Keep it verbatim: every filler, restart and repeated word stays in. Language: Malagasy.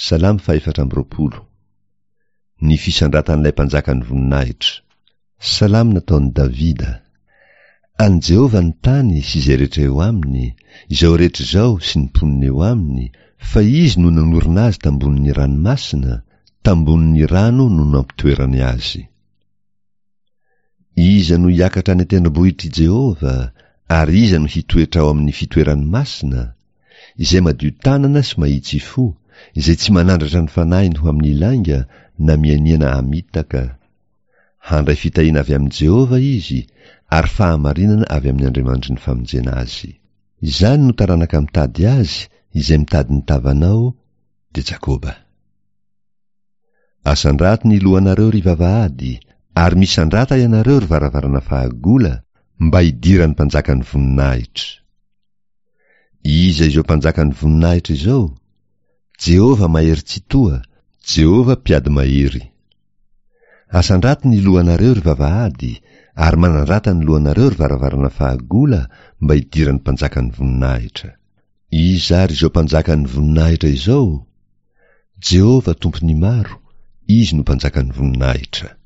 Salamo fahefatra amby roapolo. Ny fisandratan'ilay mpanjakan'ny voninahitra. Salamo nataon'i Davida. An'i Jehovah ny tany sy izay rehetra eo aminy, izao rehetra izao sy ny mponina eo aminy, fa izy no nanorina azy tambonin'ny ranomasina, tambonin'ny rano no nampitoerany azy. Iza no hiakatra any an-tendrombohitr'i Jehovah, ary iza no hitoetra ao amin'ny fitoerany masina? Izay madio tanana sy mahitsy fo, izay tsy manandratra ny fanahiny ho amin'ny lainga na mianiana hamitaka. Handray fitahiana avy amin'i Jehovah izy, ary fahamarinana avy amin'ny Andriamanitry ny famonjena azy. Izany no taranaka mitady azy, izay mitady ny tavanao, dia Jakoba. Asandrato ny lohanareo, ry vavahady, ary misandrata ianareo, ry varavarana fahagola, mba hidiran'ny mpanjakan'ny voninahitra. Iza izao mpanjakan'ny voninahitra izao? Jehovah mahery tsitoha, Jehovah mpiady mahery. Asandrato ny lohanareo, ry vavahady, ary manandrata ny lohanareo, ry varavarana fahagola, mba hidiran'ny mpanjakan'ny voninahitra. Iza ary izao mpanjakan'ny voninahitra izao? Jehovah tompon'ny maro, izy no mpanjakan'ny voninahitra.